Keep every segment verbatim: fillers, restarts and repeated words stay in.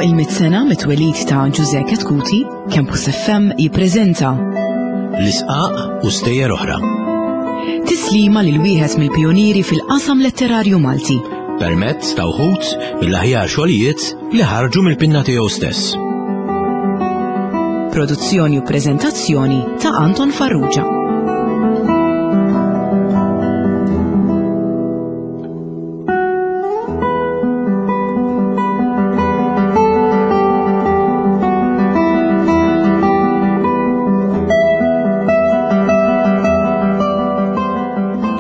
il-mitt sena mit-twelid ta' Ġużè Chetcuti, Campus F M jippreżenta L-Isqaq u Stejjer Oħra. Tislima lil wieħed mill-pionieri fil-qasam letterarju Malti. Permezz ta' wħud mill-aħjar xogħlijiet li ħarġu mill-pinna tiegħu stess. Produzzjoni u preżentazzjoni ta' Anton Farrugia.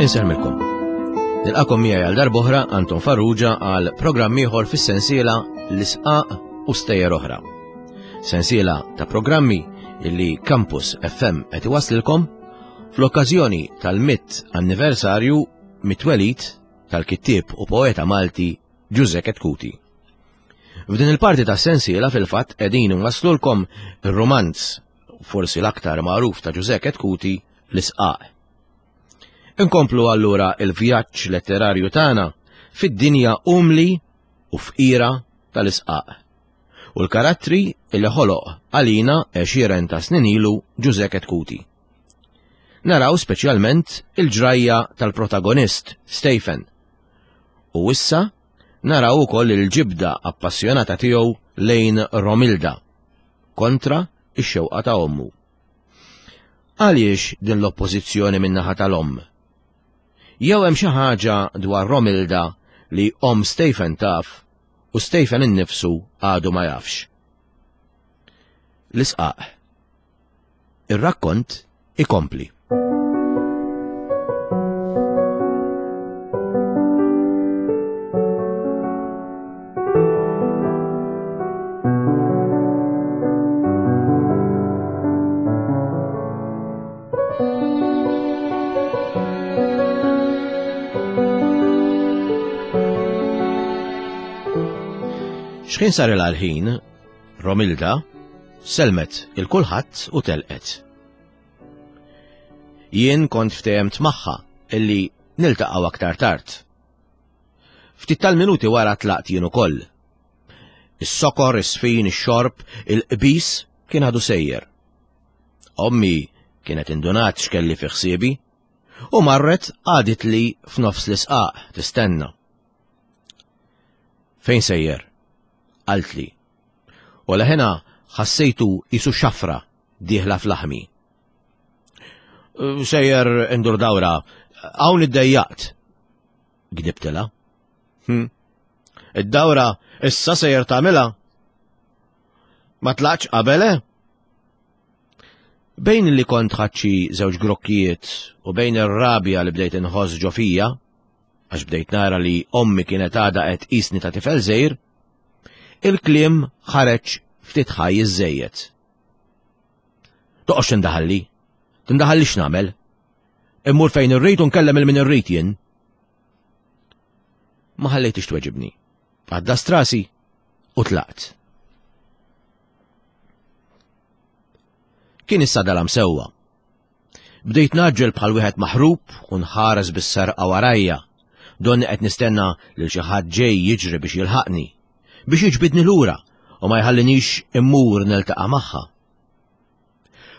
Insellmilkom. Nilqagħkom miegħi għal darb'oħra Anton Farrugia għal programm ieħor fis-sensiela L-Isqaq u Stejjer Oħra. Sensiela ta' programmi illi Campus F M qed iwaslilkom fl-okkażjoni tal-mitt anniversarju mit-twelid tal-kittieb u poeta Malti Ġużè Chetcuti. F'din il-parti ta' sensiela fil-fatt qegħdin nwaslulkom ir-romanz forsi l-aktar magħruf ta' Ġużè Chetcuti, L-Isqaq. Inkomplu allura il-vjaġġ letterarju tagħna fid-dinja umli u fqira tal-isqaq. U l-karattri li ħoloq għalina għexieren ta' snin ilu Ġużè Chetcuti. Naraw speċjalment il-ġrajja tal-protagonist, Stephen. U issa naraw ukoll il-ġibda appassjonata tiegħu lejn Romilda, kontra ix-xewqa ta' ommu. Għaliex din l-oppożizzjoni min-naħa tal-omm? Jew hemm xi ħaġa dwar Romilda li omm Stephen taf u Stephen innifsu għadu ma jafx. L-Isqaq. Ir-rakkont ikompli. X'ħin sar il-ħin, Romilda selmet il-kulħadd u telqet. Jien kont ftehmt magħha illi niltaqgħu aktar tard. Ftit tal-minuti wara tlaqt jien ukoll. Is-sokor, is-sfin, ix-xorb, il-qbis kien għadu sejjer. Ommi kienet indunat x'kelli fi ħsiebi u marret qagħdet li f'nofs l-isqaq tistenna. Fejn sejjer? Qaltli. U leħena ħassejtu qisu xafra dieħla f'laħmi. Sejjer indur dawra, hawn iddejjaqt. Gdibtilha. Hm. Id-dawra issa sejjer tagħmilha? Ma tlaqx qabel, eh? Bejn li kont ħadt xi żewġ grokkijiet u bejn ir-rabja li bdejt inħoss ġo fija, għax bdejt nara li ommi kienet għadha qed tqisni ta' tifel żgħir, il-kliem ħareġ ftit ħaj iżżejjed. Toqgħodx tindaħalli, tindaħalli x'nagħmel. Immur fejn irrid u nkellem lil min irrid jien. Ma ħallejtix tweġibni. Għaddast rasi u tlaqt. Kien issa dalam sewwa. Bdejt ngħaġġel bħal wieħed maħrub u nħares bis-serqa warajja. Donni qed nistenna lil xi ħadd ġej jiġri biex jilħaqni, biex jiġbidni lura u ma jħallinix immur niltaqa' magħha.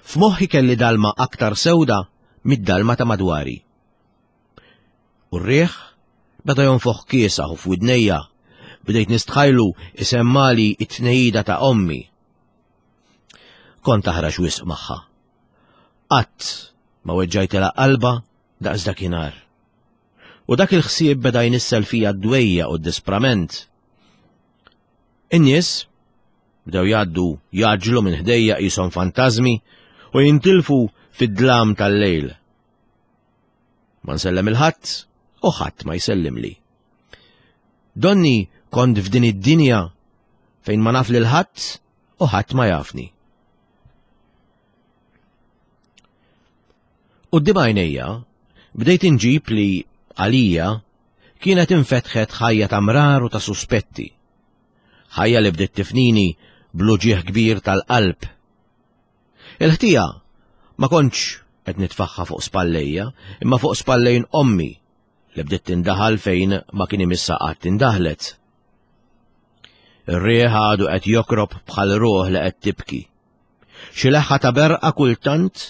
F'moħħi kelli dalma aktar sewda mid-dalma ta' madwari. U r-riħ beda jonfoħ kiesaħ u f'widnejja bdejt nistħajlu isemmali it-tnejida ta' ommi. Kont aħrax wisq magħha. Qatt ma weġġajtilha qalba daqs dakinhar. U dak il-ħsieb beda jnissel fija d-dwejja u d-disprament. In-nies bdew jgħaddu jgħaġġlu minn ħdejja qishom fantażmi u jintilfu fid-dlam tal-lejl. Ma nsellem lil ħadd u ħadd ma jsellimli. Donni kont f'din id-dinja fejn ma naf lil ħadd u ħadd ma jafni. Quddiem għajnejja bdejt inġib li għalija kienet infetħet ħajja ta' mrar u ta' suspetti. Ħajja li bdiet tifnini bl-uġigħ kbir tal-qalb. Il-ħtija ma kontx qed nitfaħħa fuq spallejja, imma fuq spallejn ommi li bdiet tindaħal fejn ma kien imissa qatt tindaħlet. Ir-riħ għadu qed jokrob bħal ruħ li qed tibki. Xi leħħa ta' berqa kultant,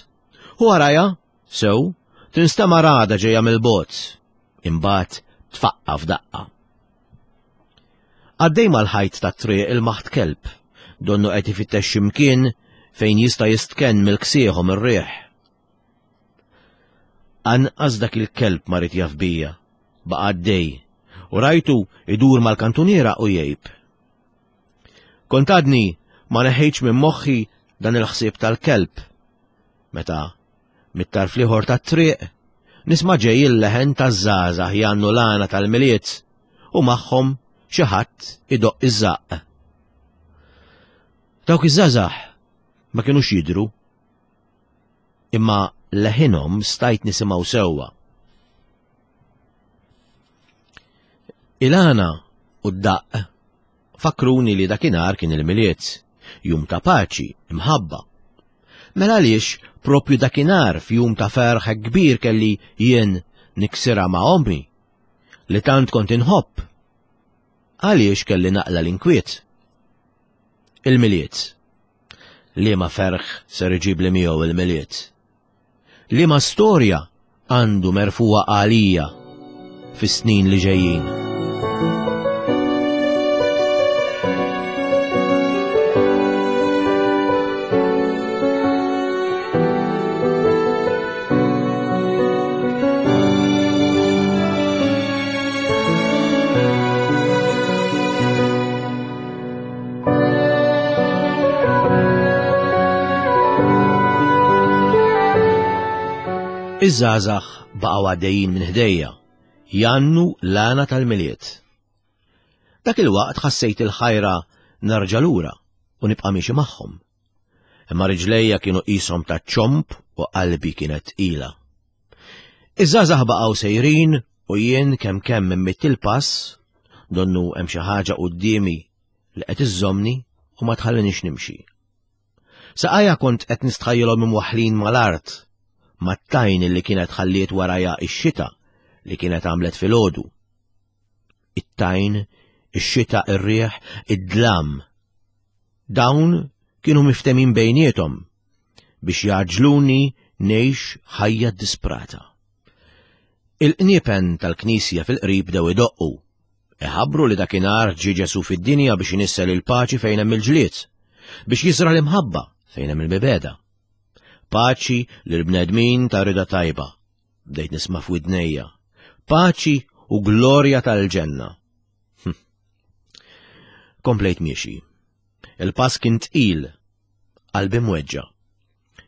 u warajha, sew, tinstema' ragħda ġejja mill-bogħod, imbagħad tfaqqa' f'daqqa. Għaddej mal-ħajt tat-triq il-maħt kelb, donnu qed ifittex xi mkien fejn jista' jistkenn mill-ksieħ u mir-riħ. Anqas dak il-kelb ma rid jaf bija, baqa' għaddej, u rajtu idur mal-kantuniera u jgħib. Kont għadni ma neħejtx minn moħħi dan il-ħsieb tal-kelb. Meta mit-tarf l-ieħor tat-triq nisma' ġej il-leħen taż-żgħażagħ jgħannu l-għana tal-Milied u magħhom xi ħadd idoqq iż-żaqq. Dawk iż-żgħażagħ ma kinux jidhru, imma leħinhom stajt nisimgħu sewwa. Il-għana u d-daqq fakkruni li dakinhar kien il-Milied, jum ta' paċi, imħabba. Mela għaliex propju dakinhar f'jum ta' ferħ hekk kbir kelli jien niksirha ma' ommi, li tant kont inħobb? Għaliex kelli naqla l-inkwiet? Il-Milied. Liema ferħ ser iġibli miegħu il-Milied? Liema storja għandu merfugħa għalija fis-snin li ġejjin? Iż-żgħażagħ baqgħu għaddejjin minn ħdejja, jgħannu l-għana tal-Milied. Dak il-waqt ħassejt il-ħajra nerġa' lura u nibqa' miexi magħhom. Imma riġlejja kienu qishom ta' ċomb u qalbi kienet tqila. Iż-żgħażagħ baqgħu sejrin u jien kemm kemm immitt il-pass, donnu hemm xi ħaġa quddiemi li qed iżżommni u ma tħallinix nimxi. Saqajja kont qed nistħajjilhom imwaħħlin mal-art, mat-tajn li kienet ħalliet warajha ix-xita li kienet għamlet filgħodu. It-tajn, ix-xita, ir-riħ, id-dlam. Dawn kienu miftemin bejniethom biex jaġluni ngħix ħajja disprata. Il-qniepen tal-knisja fil-qrib bdew idoqqu. Iħabbru li dakinhar ġie Ġesù fid-dinja biex inissel il-paċi fejn hemm il-ġlied, biex jiżra' l-imħabba fejn hemm il-mibegħda. Paċi lill-bnedmin ta' rida tajba, bdejt nisma' f'widnejja. Paċi u glorja tal-ġenna. Hm. Komplejt miexi. Il-pass kien tqil, qalbi mweġġa.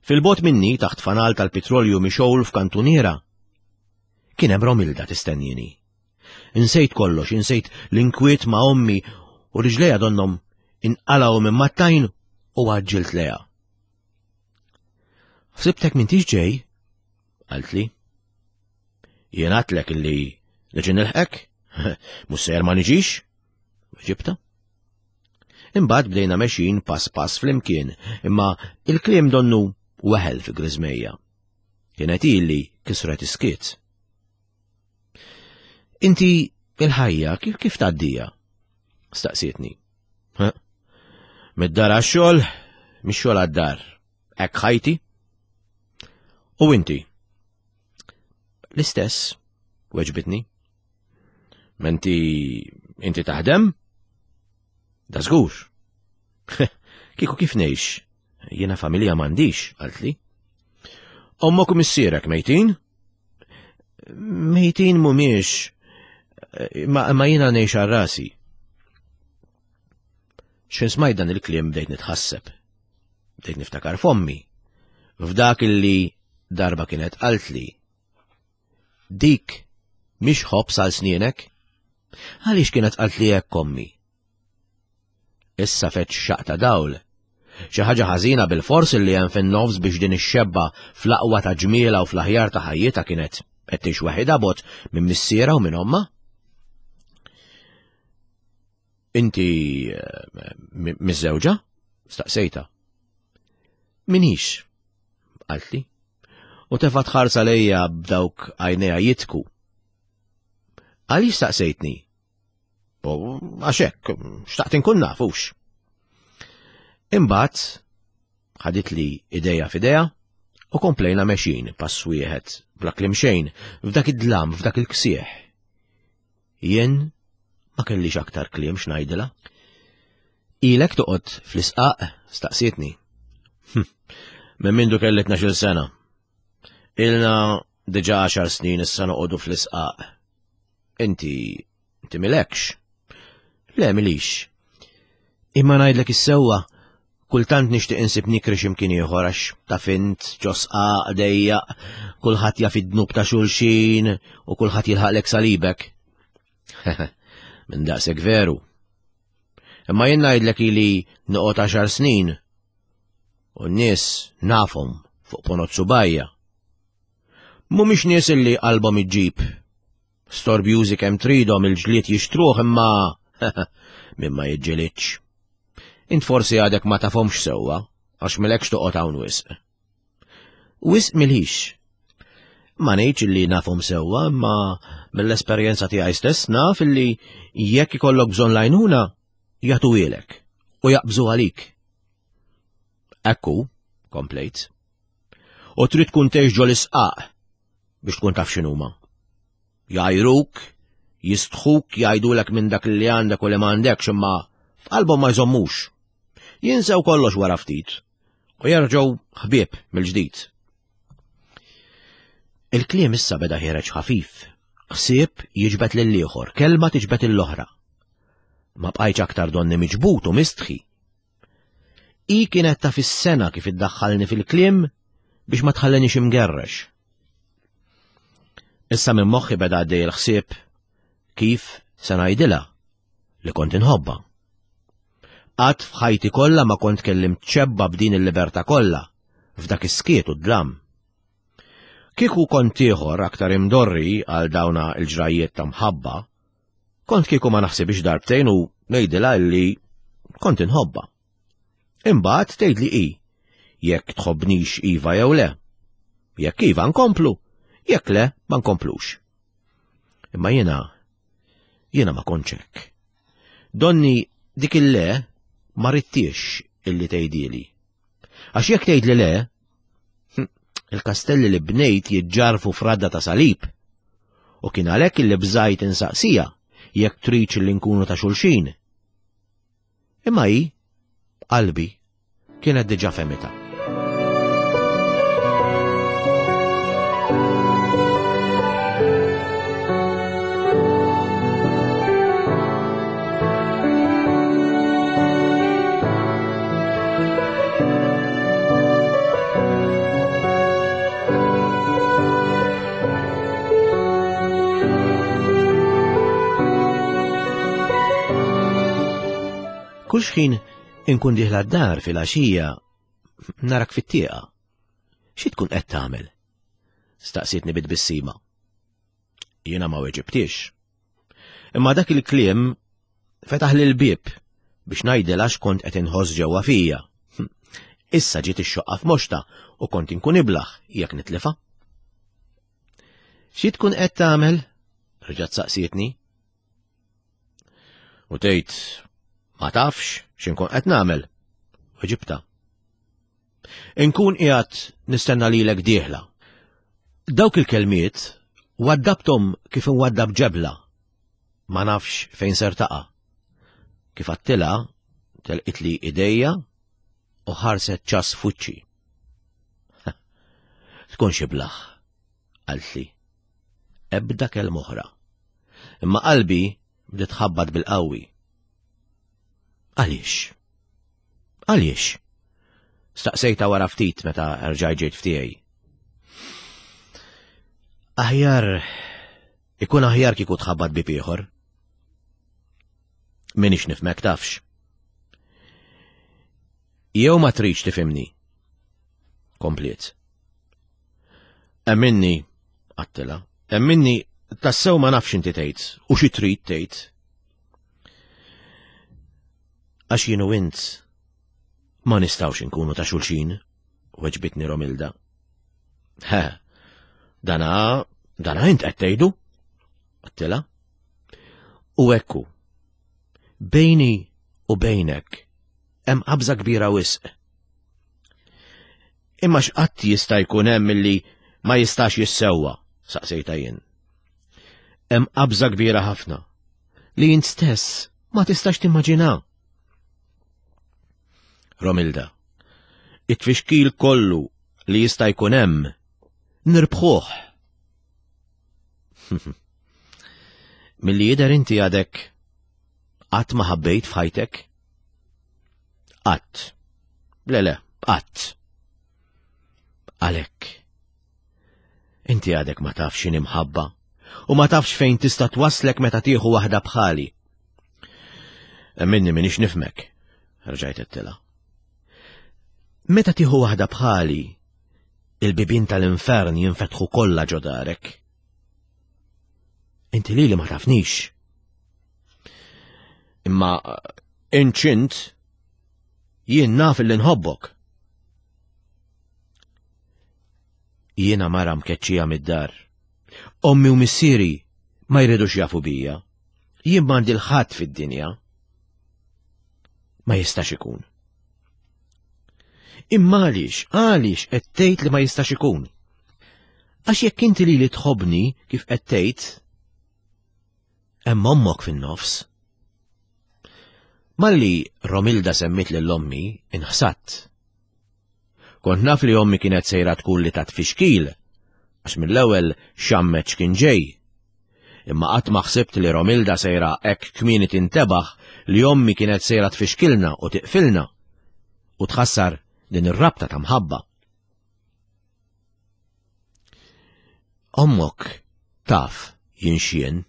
Fil-bot minni taħt fanal tal-petrolju mixgħul f'kantuniera, kien hemm Romilda tistennini. Insejt kollox, insejt l-inkwiet ma' ommi u riġlejja donnom inqalgħu minn mat-tajn u għaġġilt lejha. Ħsibtek m'intix ġej? Qaltli. Jien għadtlek illi niġi nilħqek? Mhux sejjer ma niġix? Weġibta. Imbagħad bdejna mexjin pass pass flimkien, imma il-kliem donnu weħel fi griżmejja. Kienet hi li kisret iskiet. Inti il-ħajja kif kif tgħaddija? Staqsietni. Mid-dar għax-xogħol, mix-xogħol għad-dar. Hekk ħajti? U inti? L-istess, weġbitni. Menti inti taħdem? Da żgur. Kieku kif ngħix? Jiena familja m'għandix, qaltli. Ommok u missierek mejtin? Mejtin mhumiex, ma, ma jiena ngħix għal rasi. X'in smajt dan il-kliem bdejt nitħasseb. Bdejt niftakar f'ommi. F'dak illi darba kienet qaltli. Dik mhix ħobż għal snienek? Għaliex kienet qaltli hekk ommi? Issa feġġ xaq ta' dawl. Xi ħaġa ħażina bil-fors li hemm fin-nofs biex din ix-xebba fl-aqwa ta' ġmiela u fl-aħjar ta' ħajjitha kienet qed tgħix waħidha bogħod minn missierha u minn ommha. Inti miżżewġa? Staqsejta. Minix, qaltli. U tefgħet ħarsa lejja b'dawk għajnejha jitku. Għaliex staqsejtni? U għax hekk, xtaqt inkun nafux. Imbagħad ħaditli idejja f'idejha u komplejna mexjin pass wieħed bla kliem xejn f'dak id-dlam, f'dak il-ksieħ. Jien ma kellix aktar kliem x'ngħidilha. Ilek toqgħod fl-isqaq? Staqsietni. Hm, minn mindu kelli tnax-il sena. Ilna diġà għaxar snin issa noqogħdu fl-isqaq. Inti, inti milekx? Le, milix. Imma ngħidlek is-sewwa, kultant nixtieq insib nikri x'imkien ieħor għax taf int ġo sqaq dejjaq, kulħadd jaf id-dnub ta' xulxin u kulħadd jilħaqlek salibek. Minn daqshekk veru. Imma jien ngħidlek ili noqgħod għaxar snin u n-nies nafhom fuq ponot subajja. Mhumiex nies illi qalbhom iġġib. Storbjużi kemm tridhom il-ġlied jixtruh imma min ma jiġġilidx. Int forsi għadek ma tafhomx sewwa għax milekx toqgħod hawn wisq. Wisq milix. Ma ngħidx illi nafhom sewwa, imma mill-esperjenza tiegħi stess naf illi jekk ikollok bżonn l-għajnuna jagħtuhielek u jaqbżu għalik. Ekku, komplejt. U trid tkun tgħix ġol-isqaq biex tkun taf x'inhuma. Jgħajruk, jistħuk, jgħidulek minn dak li għandek u li m'għandekx, imma f'qalbhom ma jżommux. Jinsew kollox wara ftit u jerġgħu ħbieb mill-ġdid. Il-kliem issa beda ħiereġ ħafif, ħsieb jiġbed lill-ieħor, kelma tiġbed l-oħra. Ma bqajtx aktar donni miġbut u mistħi. I kienet taf is-sena kif iddaħħalni fil-kliem biex ma tħallenix imgerrex. Issa minn moħħi beda għaddej il-ħsieb kif se ngħidilha li kont inħobbha. Qatt f'ħajti kollha ma kont kellimt ċebba b'din il-libertà kollha f'dak is-skiet u d-dlam. Kieku kont ieħor aktar imdorri għal dawna l-ġrajiet ta' mħabba, kont kieku ma naħsibx darbtejn u ngħidilha li kont inħobbha. Imbagħad tgħidli hi jekk tħobbnix iva jew le. Jekk iva nkomplu, jekk le ma nkomplux. Imma jiena, jiena ma kontx hekk. Donni dik il-le ma rittiex illi tgħidili. Għax jekk tgħidli le, hm, il-kastelli li bnejt jiġġarfu f'radda ta' salib. U kien għalhekk illi bżajt insaqsija jekk tridx li nkunu ta' xulxin. Imma hi, qalbi, kienet diġà fehmitha. Kull xħin inkun dieħla d-dar fil-għaxija narak fit-tieqa. Xi tkun qed tagħmel? Staqsietni bit-tbissima. Jiena ma weġibtix. Imma dak il-kliem fetaħ lil bieb biex ngħidilha x'kont qed inħoss ġewwa fija. Issa ġiet ix-xoqqa f'moxta u kont inkun iblaħ jekk nitlifa. Xi tkun qed tagħmel? Reġgħet saqsietni. U tgħid ma tafx x'inkun qed nagħmel. Weġibta. Inkun qiegħed nistenna lilek dieħla. Dawk il-kelmiet waddabthom kif inwaddab ġebla. Ma nafx fejn ser taqa'. Kif għattilha telqitli idejja u ħarset ċas f'wiċċi. Tkun xi blaħ, qaltli. Ebda kelma oħra. Imma qalbi bdiet tħabbat bil-qawwi. Għaliex? Għaliex? Staqsejta wara ftit meta rġajt ġejt f'tiegħi. Aħjar, ikun aħjar kieku tħabbat bib ieħor. Minix nifhmek tafx. Jew ma tridx tifhimni. Kompliet. Emminni, għattila, emminni tassew ma nafx inti tgħid u xi trid tgħid. Għax jien u int ma nistgħux inkunu ta' xulxin, weġbitni Romilda. He, dana, dana int qed tgħidu? Għattila. U ekku, Bejni u bejnek hemm qabża kbira wisq. Imma x'qatt jista' jkun hemm illi ma jistax jissewwa, saqsejta jien. Hemm qabża kbira ħafna li jint stess ma tistax timmaġina. Romilda, it-tfixkil kollu li jista' jkun hemm nirbħuh. Milli jidher inti għadek qatt ma ħabbejt f'ħajtek? Qatt. Le le, qatt. Għalhekk. Inti għadek ma tafx x'inhi mħabba u ma tafx fejn tista' twaslek meta tieħu waħda bħali. Minni minix nifmek, rġajt għedtilha. Meta tieħu waħda bħali, il-bibien tal-infern jinfetħu kollha ġo darek. Inti lili ma tafnix. Imma inċint jien naf li nħobbok. Jiena mara mkeċċija mid-dar. Ommi u missieri ma jridux jafu bija. Jien m'għandi l-ħadd fid-dinja. Ma jistax ikun. Imma għaliex, għaliex qed tgħid li ma jistax ikun? Għax jekk inti lili tħobbni kif qed tgħid, hemm ommok fin-nofs. Malli Romilda semmit lil ommi, inħsatt. Kont naf li ommi kienet sejra tkun li tat fixkil, għax mill-ewwel xammet x'kien ġej. Imma qatt ma ħsibt li Romilda sejra hekk kmieni tintebaħ li ommi kienet sejra tfixkilna u tiqfilna u tħassar din ir-rabta ta' mħabba. Ommok taf jien x'jien.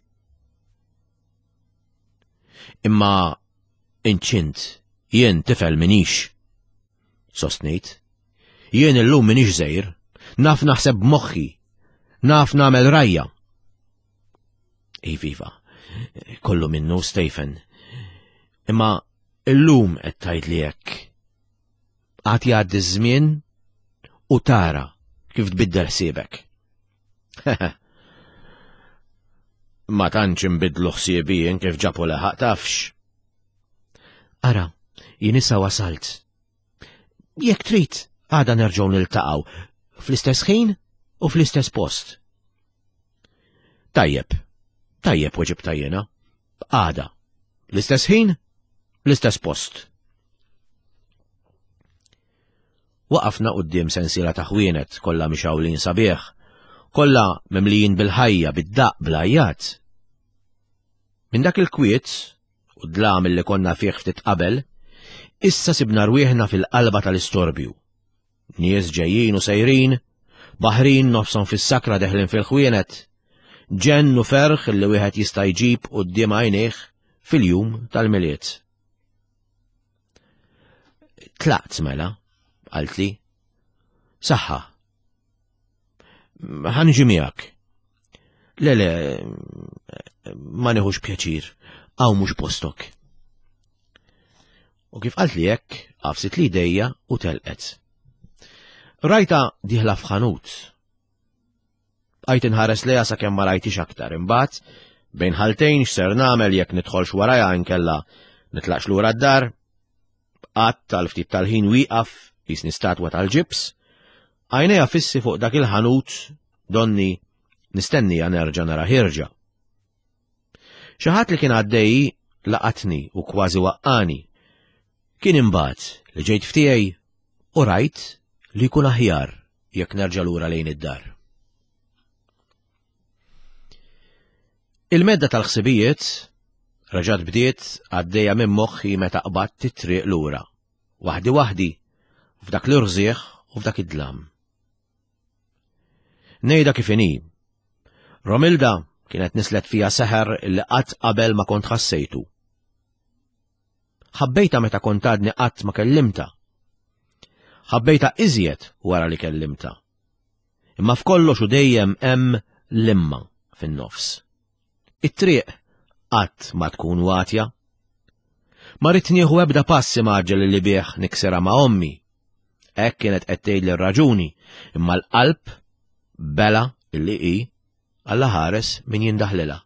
Imma inċint jien tifel minix. Sostnejt. Jien illum minix żgħir, naf naħseb b'moħħi, naf nagħmel rajja. Iviva, kollu minnu Stephen. Imma illum qed tgħidli hekk. Għad jgħaddi ż-żmien u tara kif tbiddel ħsiebek. Ma tantx inbidlu ħsiebi jien kif ġabu leħaq tafx. Ara, jien issa wasalt. Jekk trid, għada nerġgħu niltaqgħu fl-istess ħin u fl-istess post. Tajjeb, tajjeb weġibta jiena. Għada, l-istess ħin, l-istess post. Waqafna quddiem sensiela ta' ħwienet kollha mixgħulin sabiħ, kollha mimlijin bil-ħajja, bid-daqq, bl-għajjat. Minn dak il-kwiet u d-dlam li konna fih ftit qabel, issa sibna rwieħna fil-qalba tal-istorbju. Nies ġejjin u sejrin, baħrin nofshom fis-sakra deħlin fil-ħwienet, ġenn u ferħ li wieħed jista' jġib quddiem għajnejh fil-jum tal-Milied. Tlaqt mela, qaltli. Saħħa. Ħa niġi miegħek. Le, le, ma nieħux pjaċir, hawn mhux postok. U kif qaltli hekk, għafsit li idejja u telqet. Rajta dieħla f'ħanut. Bqajt inħares lejha sakemm ma rajtix aktar, imbagħad bejn ħaltejn x'ser nagħmel jekk nidħolx warajha inkella nitlaqx lura d-dar. Qatt tal-ftit tal-ħin wieqaf jisni statwa tal-ġibs, għajnejha fissi fuq dak il-ħanut donni nistennija nerġa' nara ħirġa. Xi ħadd li kien għaddej laqatni u kważi waqqani. Kien imbagħad li ġejt ftiegħi u rajt li jkun aħjar jekk nerġa' lura lejn id-dar. Il-medda tal-ħsibijiet reġgħet bdiet għaddejja minn moħħi meta qbadt it-triq lura, waħdi waħdi, f'dak l-irżieħ u f'dak id-dlam. Ngħidha kif inhi. Romilda kienet nislet fija seħer li qatt qabel ma kont ħassejtu. Ħabbejta meta kont għadni qatt ma kellimta. Ħabbejta iżjed wara li kellimta. Imma f'kollox u dejjem hemm l-imma fin-nofs. It-triq qatt ma tkun watja. Ma rrid nieħu ebda pass imgħaġġel li bih niksirha ma' ommi. Hekk kienet qed tgħidli r-raġuni, imma l-qalb bela illi hi Alla ħares min jindaħlilha.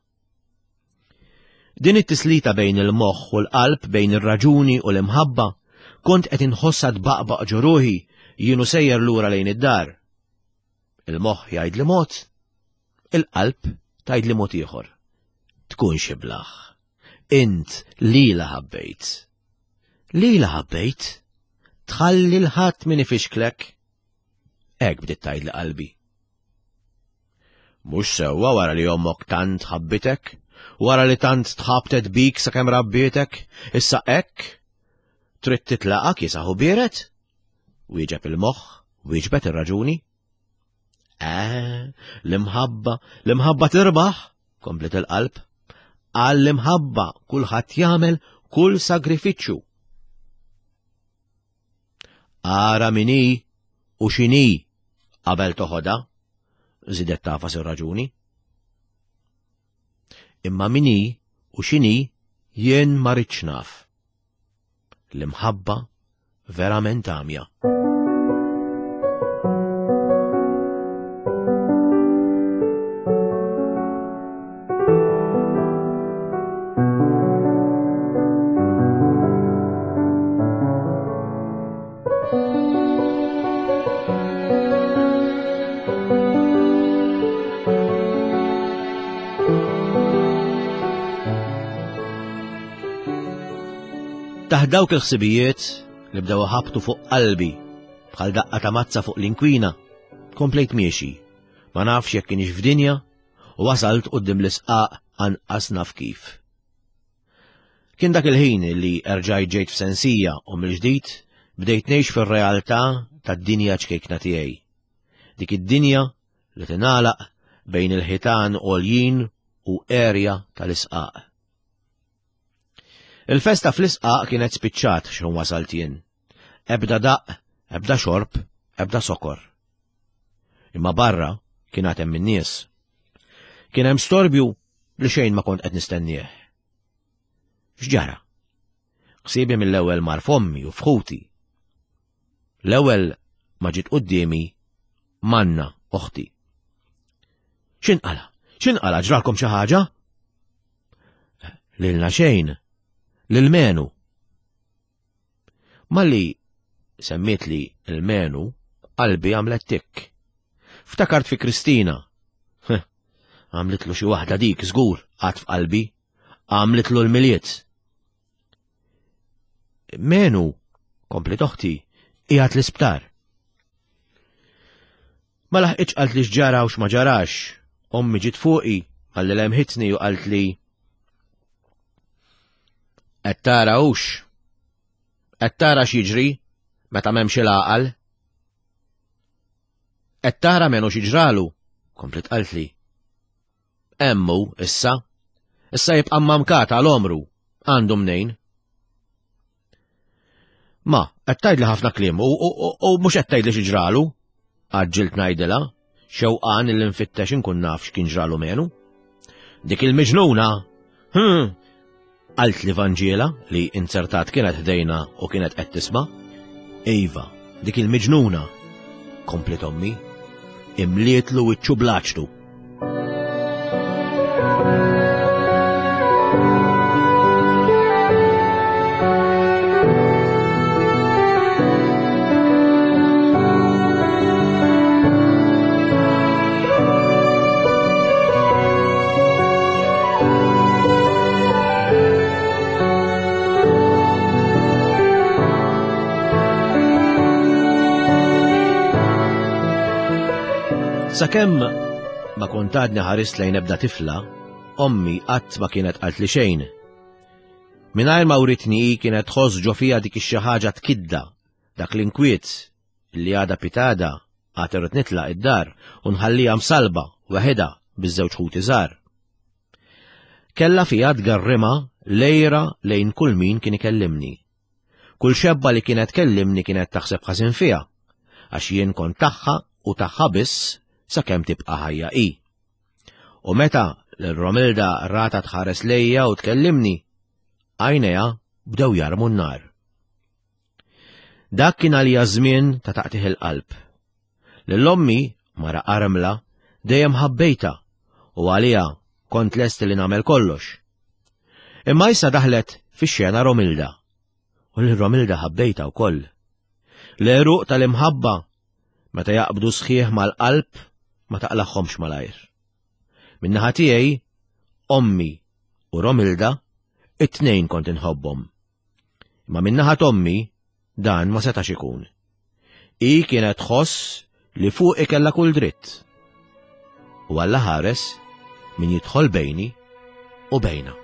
Din it-tislita bejn il-moħħ u l-qalb, bejn ir-raġuni u l-imħabba, kont qed inħossha tbaqbaq ġo ruħi jienu sejjer lura lejn id-dar. Il-moħħ jgħidli mod, il-qalb tgħidli mod ieħor. Tkunx iblaħ. Int lila ħabbejt. Lila ħabbejt? Tħalli l-ħadd min ifixklek. Hekk bdiet tgħidli qalbi. Mhux sewwa wara li ommok tant ħabbitek, wara li tant tħabtet bik sakemm rabbietek, issa hekk trid titlaqa kiesaħ u biered? Wieġeb il-moħħ, wieġbet ir-raġuni. Eh, l-imħabba, l-imħabba tirbaħ, komplet il-qalb. Għall-imħabba kulħadd jagħmel kull sagrifiċċju. Ara min hi u x'inhi qabel toħodha, żidet tafas ir-raġuni. Imma min hi u x'inhi jien ma rridx naf. L-imħabba verament għamja. Taħt dawk il-ħsibijiet li bdew ħabtu fuq qalbi bħal daqqa ta' mazza fuq l-inkwina, komplejt miexi, ma nafx jekk kienx f'dinja, u wasalt quddiem l-isqaq anqas naf kif. Kien dak il-ħin li erġajt ġejt f'sensija u mill-ġdid bdejt ngħix fir-realtà tad-dinja ċkejkna tiegħi. Dik id-dinja li tingħalaq bejn il-ħitan għoljin u erja tal-isqaq. Il-festa fl-isqaq kienet spiċċat x'ħin wasalt jien. Ebda daqq, ebda xorb, ebda sokor. Imma barra kien għad hemm in-nies. Kien hemm storbju li xejn ma kont qed nistennieh. X'ġara? Ħsiebi mill-ewwel mar f'ommi u f'ħuti. L-ewwel ma ġiet quddiemi Manna oħti. X'inqala? X'inqala ġralkom xi ħaġa? Lilna xejn. Lil Menu. Malli semmiet li l-Menu, qalbi għamlet tikk. Ftakart fi Kristina. Għamlitlu xi waħda dik żgur għad f'qalbi. Għamlitlu l-Milied. Menu, komplet oħti, qiegħed l-isptar. Ma laħqitx qalt li x'ġara u x'ma ġarax. Ommi ġiet fuqi, malli lemħitni u qalt li qed tara hux. Qed tara x'jiġri meta m'hemmx il-għaqal. Qed tara Menu x'ġralu, komplet qaltli. Emmu issa, issa jibqa' mamkat għal omru, għandu mnejn. Ma, qed tgħidli ħafna kliem u u mhux qed tgħidli xi ġralu, għaġġilt ngħidilha, xewqan illi nfittex inkun naf x'kien ġralu Menu. Dik il-miġnuna, hm, qalt li Vanġiela li inzertat kienet ħdejna u kienet qed tisma'. Iva, dik il-miġnuna, komplet ommi, imlietlu wiċċu blaċtu. Sakemm ma kont għadni ħarist lejn ebda tifla, ommi qatt ma kienet qalt li xejn. Mingħajr ma writni hi kienet tħoss ġo fija dik ix-xi ħaġa tkidda, dak l-inkwiet li għada pitada għad irrid nitlaq id-dar u nħallija msalba waħedha biż-żewġ ħuti żgħar. Kellha fija tgarrima lejra lejn kull min kien ikellimni. Kull xebba li kienet kellimni kienet taħseb ħażin fija, għax jien kont tagħha u tagħha biss sakemm tibqa' ħajja hi. U meta l-Romilda rata tħares lejja u tkellimni, għajnejha bdew jarmu n-nar. Dak kien għalija żmien ta' taqtih il-qalb. Lil ommi, mara armla, dejjem ħabbejta u għalija kont lest li nagħmel kollox. Imma issa daħlet fix-xena Romilda. U lil Romilda ħabbejtha wkoll. L-għeruq tal-imħabba meta jaqbdu sħiħ mal-qalb ma taqlagħhomx malajr. Min-naħa tiegħi, ommi u Romilda it-tnejn kont inħobbhom. Imma min-naħa t'ommi dan ma setax ikun. Hi kienet tħoss li fuqi kellha kull dritt. U Alla ħares min jidħol bejni u bejna.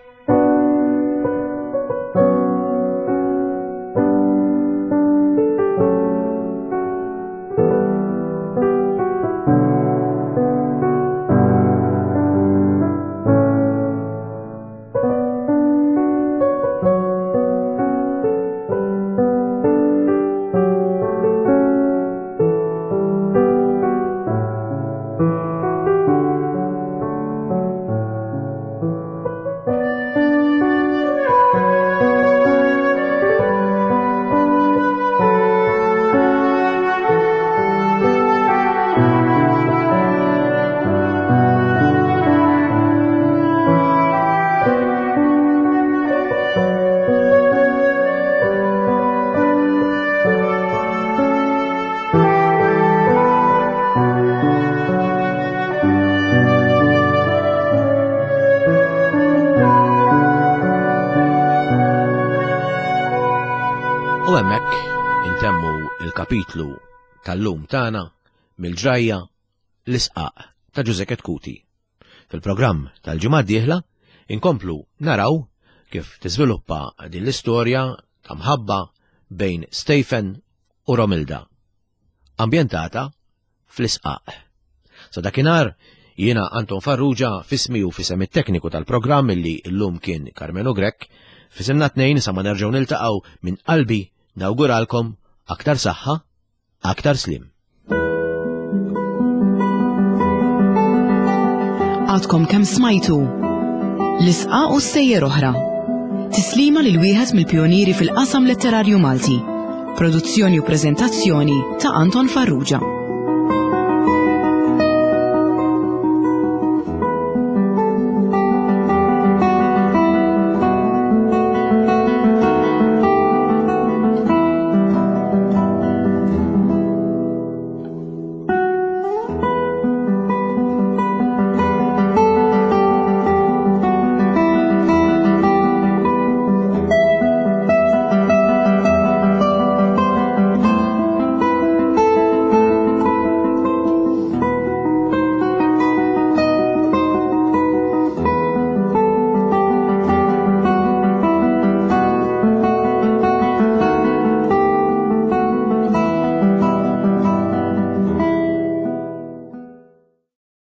U hemmhekk intemmu il-kapitlu tal-lum tagħna mill-ġrajja L-Isqaq ta' Ġużè Chetcuti. Fil-programm tal-ġimgħa d-dieħla inkomplu naraw kif tiżviluppa din l-istorja ta' mħabba bejn Stephen u Romilda, ambjentata fl-Isqaq. Sa dakinhar jiena Anton Farrugia f'ismi u f'isem it-tekniku tal-programm illi llum kien Carmelo Grech, f'isimna tnejn sa ma nerġgħu niltaqgħu minn qalbi nawguralkom aktar saħħa, aktar slim. Għadkom kemm smajtu L-Isqaq u Stejjer Oħra. Tislima lil wieħed mill-pjonieri fil-qasam letterarju Malti. Produzzjoni u preżentazzjoni ta' Anton Farrugia.